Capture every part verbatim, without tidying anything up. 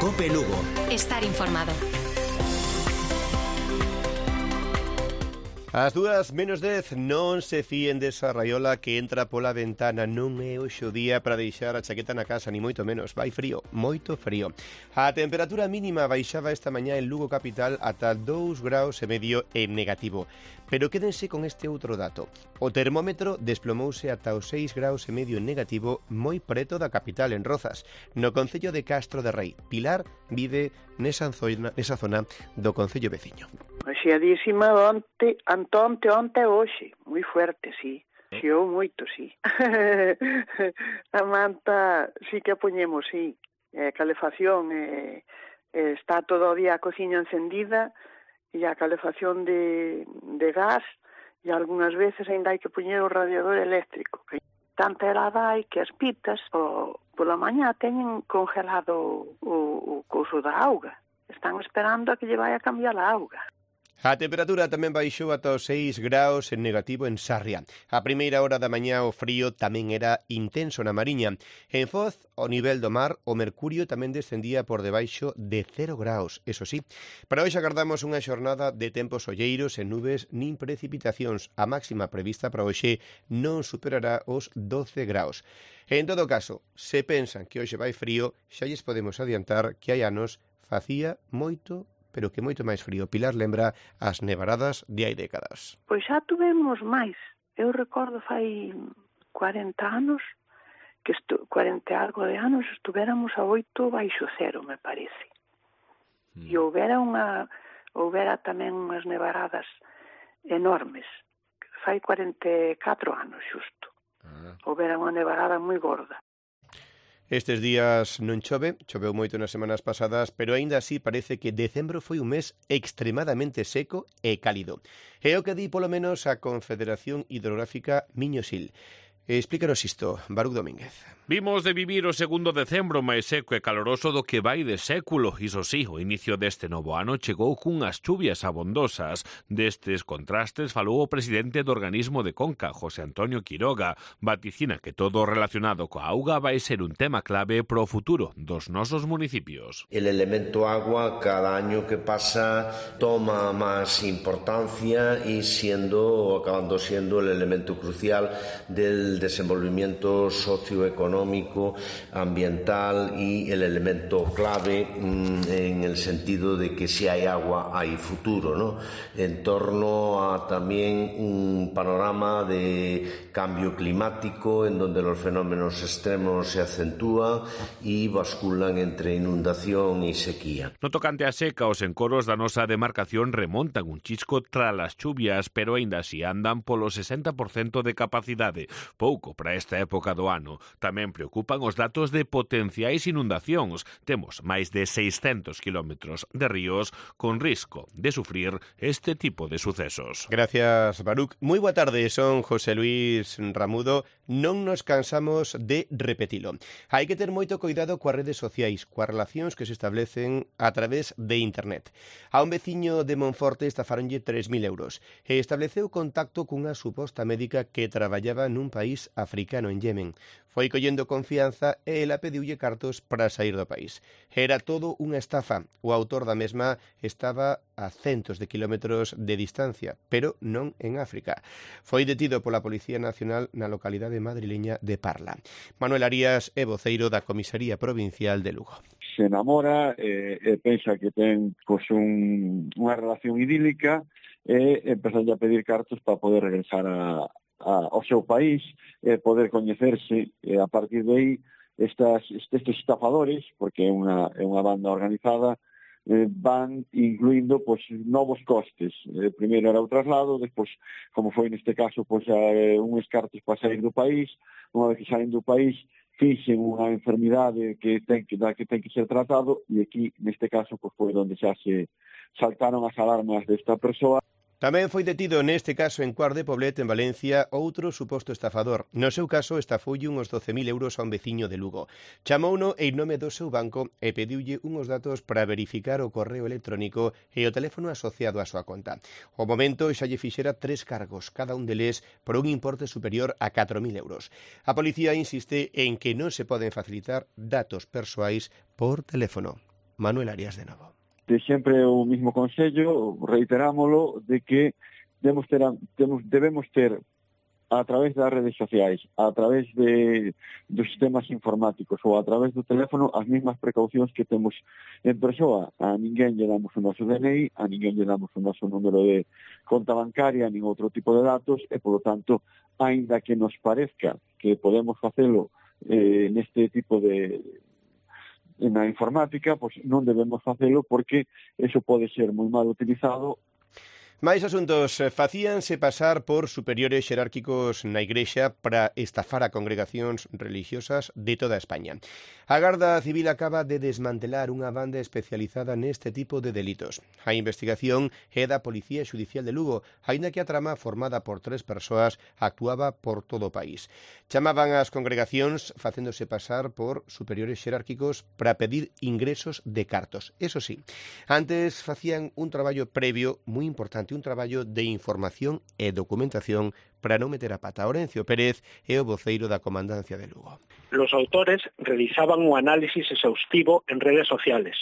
Cope Lugo. Estar informado. As dúas menos dez, non se fíen desa raiola que entra pola ventana. Non é hoxe o día para deixar a chaqueta na casa, ni moito menos. Vai frío, moito frío. A temperatura mínima baixaba esta mañá en Lugo capital ata dous graus e medio en negativo. Pero quédense con este outro dato. O termómetro desplomouse ata os seis graus e medio en negativo moi preto da capital, en Rozas, no concello de Castro de Rei. Pilar vive nesa zona, nesa zona do concello veciño. Axiadísima onte, antonte, onte e hoxe. Moi fuerte, sí. Xiou moito, sí. A manta sí que a poñemos, sí. Eh, calefacción, eh, eh, está todo o día a cociña encendida e a calefacción de, de gas e algunhas veces ainda hai que poñer o radiador eléctrico. Que tanta helada hai que as pitas o, pola mañá teñen congelado o, o couso da auga. Están esperando a que lle vai a cambiar a auga. A temperatura tamén baixou ata os seis graus en negativo en Sarria. A primeira hora da mañá o frío tamén era intenso na Mariña. En Foz, ao nivel do mar, o mercurio tamén descendía por debaixo de cero graus, eso sí. Para hoxe agardamos unha xornada de tempos olleiros en nubes nin precipitacións. A máxima prevista para hoxe non superará os doce graus. En todo caso, se pensan que hoxe vai frío, xa lles podemos adiantar que hai anos facía moito pero que moito máis frío. Pilar lembra as nevaradas de hai décadas. Pois xa tuvemos máis. Eu recordo fai cuarenta anos, que estu... cuarenta algo de anos, estuvéramos a oito baixo cero, me parece. Mm. E houbera unha, houbera tamén unhas nevaradas enormes. Fai cuarenta e catro anos, xusto. Ah. Houbera unha nevarada moi gorda. Estes días non chove, choveu moito nas semanas pasadas, pero aínda así parece que decembro foi un mes extremadamente seco e cálido. É o que di polo menos a Confederación Hidrográfica Miño-Sil. Explícanos isto, Baruch Domínguez. Vimos de vivir o segundo decembro máis seco e caloroso do que vai de século. Iso sí, o inicio deste novo ano chegou cunhas chuvias abondosas. Destes contrastes falou o presidente do organismo de Conca, José Antonio Quiroga. Vaticina que todo relacionado coa auga vai ser un tema clave pro futuro dos nosos municipios. El elemento agua cada año que pasa toma máis importancia e siendo, acabando siendo el elemento crucial del desenvolvimiento socioeconómico, ambiental y el elemento clave mmm, en el sentido de que si hay agua hay futuro, ¿no? En torno a también un panorama de cambio climático en donde los fenómenos extremos se acentúan y basculan entre inundación y sequía. No tocante a seca, os encoros da nosa demarcación remontan un chisco tras as chuvias, pero aínda así andan polo sesenta por cento de capacidade. Pouco para esta época do ano. Tamén preocupan os datos de potenciais inundacións. Temos máis de seiscentos kilómetros de ríos con risco de sufrir este tipo de sucesos. Gracias, Baruch. Moi boa tarde, son José Luis Ramudo. Non nos cansamos de repetilo. Hai que ter moito cuidado coas redes sociais, coas relacións que se establecen a través de internet. A un veciño de Monforte estafaronlle tres mil euros e estableceu contacto cunha suposta médica que traballaba nun país africano, en Yemen. Foi collendo confianza e ela pediulle cartos para sair do país. Era todo unha estafa. O autor da mesma estaba a centos de kilómetros de distancia, pero non en África. Foi detido pola Policía Nacional na localidade madrileña de Parla. Manuel Arias é voceiro da Comisaría Provincial de Lugo. Se enamora e, e pensa que ten pues, un, unha relación idílica e empezan a pedir cartos para poder regresar a ao seu país, eh, poder coñecerse, eh, a partir de aí estas, estes estafadores, porque é unha, é unha banda organizada, eh, van incluindo pues, novos costes. Eh, primeiro era o traslado, despois, como foi neste caso, pues, eh, uns cartos para sair do país, unha vez que saen do país, fixen unha enfermidade que ten que, da que ten que ser tratado, e aquí, neste caso, pues, foi onde xa se saltaron as alarmas desta persoa. Tamén foi detido neste caso en Cuart de Poblet, en Valencia, outro suposto estafador. No seu caso, estafoulle uns doce mil euros a un veciño de Lugo. Chamouno en nome do seu banco e pediulle uns datos para verificar o correo electrónico e o teléfono asociado á súa conta. O momento xa lle fixera tres cargos, cada un deles por un importe superior a catro mil euros. A policía insiste en que non se poden facilitar datos persoais por teléfono. Manuel Arias de novo. De sempre o mismo consello, reiterámolo, de que debemos ter, debemos ter a través das redes sociais, a través de, dos sistemas informáticos ou a través do teléfono as mesmas precaucións que temos en persoa. A ninguén lle damos o noso D N I, a ninguén lle damos o noso número de conta bancaria, nin outro tipo de datos, e, polo tanto, aínda que nos parezca que podemos facelo eh, neste tipo de na informática, pois non debemos facelo porque eso pode ser moi mal utilizado. Máis asuntos. Facíanse pasar por superiores xerárquicos na Igrexa para estafar a congregacións religiosas de toda España. A Garda Civil acaba de desmantelar unha banda especializada neste tipo de delitos. A investigación é da Policía Xudicial de Lugo, aínda que a trama formada por tres persoas actuaba por todo o país. Chamaban as congregacións facéndose pasar por superiores xerárquicos para pedir ingresos de cartos. Eso sí, antes facían un traballo previo moi importante, un traballo de información e documentación para non meter a pata. Orencio Pérez é o voceiro da Comandancia de Lugo. Los autores realizaban un análisis exhaustivo en redes sociales,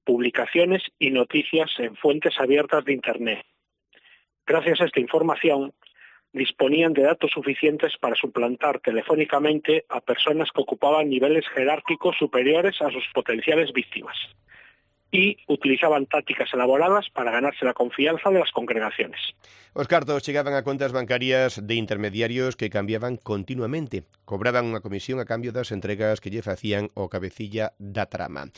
publicaciones y noticias en fuentes abiertas de Internet. Gracias a esta información, disponían de datos suficientes para suplantar telefónicamente a personas que ocupaban niveles jerárquicos superiores a sus potenciales víctimas. Y utilizaban tácticas elaboradas para ganarse la confianza de las congregaciones. Os cartos chegaban a contas bancarias de intermediarios que cambiaban continuamente. Cobraban unha comisión a cambio das entregas que lle facían o cabecilla da trama.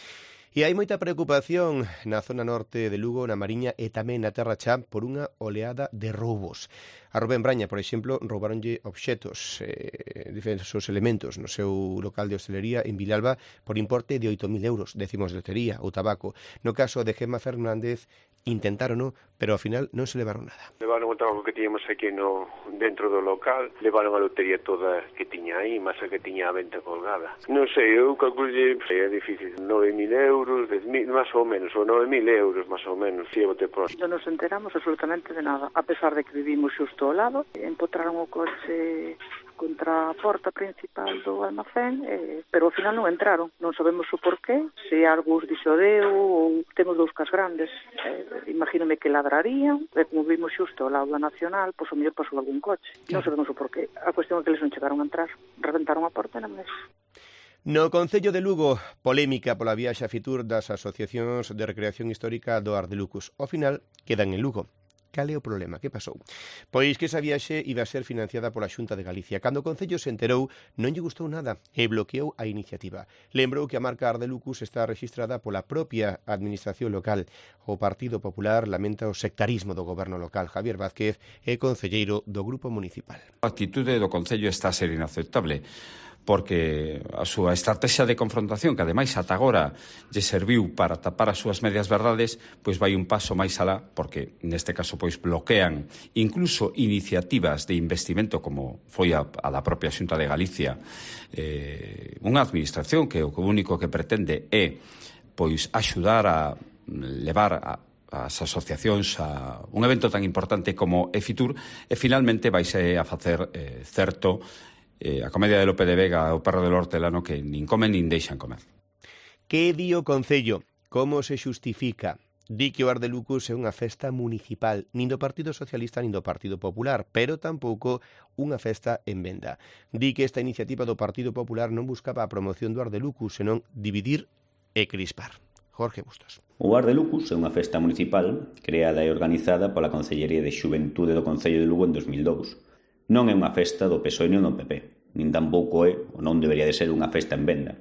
E hai moita preocupación na zona norte de Lugo, na Mariña e tamén na Terra Chá por unha oleada de roubos. A Rubén Braña, por exemplo, roubaronlle obxetos, eh, diversos elementos no seu local de hostelería en Vilalba por importe de oito mil euros, décimos de lotería ou tabaco. No caso de Gemma Fernández, intentárono, pero ao final non se levaron nada. Levaron o tabaco que tiñamos aquí no, dentro do local, levaron a lotería toda que tiña aí, máis a que tiña a venta colgada. Non sei, eu calculei, é difícil, nove mil euros, dez mil, máis ou menos, ou nove mil euros, máis ou menos, si bote por. Non nos enteramos absolutamente de nada, a pesar de que vivimos xusto ao lado, empotraron o coche contra a porta principal do almacén, eh, pero ao final non entraron. Non sabemos o porqué, se algo os dixodeu ou temos dous cas grandes. Eh, imagínome que ladrarían, e como vimos xusto ao lado da Nacional, pois o mellor pasou algún coche. Non sabemos o porqué. A cuestión é que eles non chegaron a entrar, reventaron a porta e non mes. No Concello de Lugo, polémica pola viaxe a Fitur das asociacións de recreación histórica do Ardelucus. Ao final, quedan en Lugo. Cal é o problema? Que pasou? Pois que esa viaxe iba a ser financiada pola Xunta de Galicia. Cando o Concello se enterou, non lle gustou nada e bloqueou a iniciativa. Lembrou que a marca Ardelucus está rexistrada pola propia administración local. O Partido Popular lamenta o sectarismo do goberno local. Javier Vázquez é concelleiro do Grupo Municipal. A actitude do Concello está a ser inaceptable, porque a súa estrategia de confrontación, que ademais ata agora lle serviu para tapar as súas medias verdades, pois vai un paso máis alá, porque neste caso pois bloquean incluso iniciativas de investimento como foi a, a da propia Xunta de Galicia, eh, unha administración que o único que pretende é pois axudar a levar a as asociacións a un evento tan importante como é Fitur, e finalmente vaise a facer eh, certo Eh, a comedia de Lope de Vega, o perro del hortelano, que nin comen nin deixan comer. Que di o Concello? Como se xustifica? Di que o Ardelucus é unha festa municipal, nin do Partido Socialista nin do Partido Popular, pero tampouco unha festa en venda. Di que esta iniciativa do Partido Popular non buscaba a promoción do Ardelucus, senón dividir e crispar. Jorge Bustos. O Ardelucus é unha festa municipal creada e organizada pola Concellería de Xuventude do Concello de Lugo en dos mil dous. Non é unha festa do P S O E nin do P P, nin tampouco é, ou non debería de ser, unha festa en venda,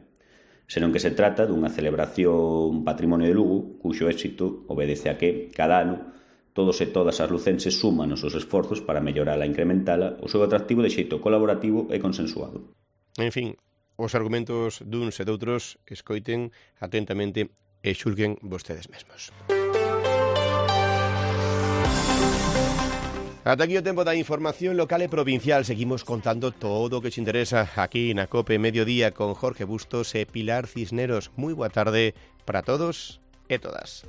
senón que se trata dunha celebración patrimonio de Lugo, cuxo éxito obedece a que, cada ano, todos e todas as lucenses suman os seus esforzos para mellorala e incrementala o seu atractivo de xeito colaborativo e consensuado. En fin, os argumentos duns e doutros escoiten atentamente e xulguen vostedes mesmos. Ata aquí o tempo da información local e provincial. Seguimos contando todo o que te interesa aquí na COPE Mediodía con Jorge Bustos e Pilar Cisneros. Moi boa tarde para todos e todas.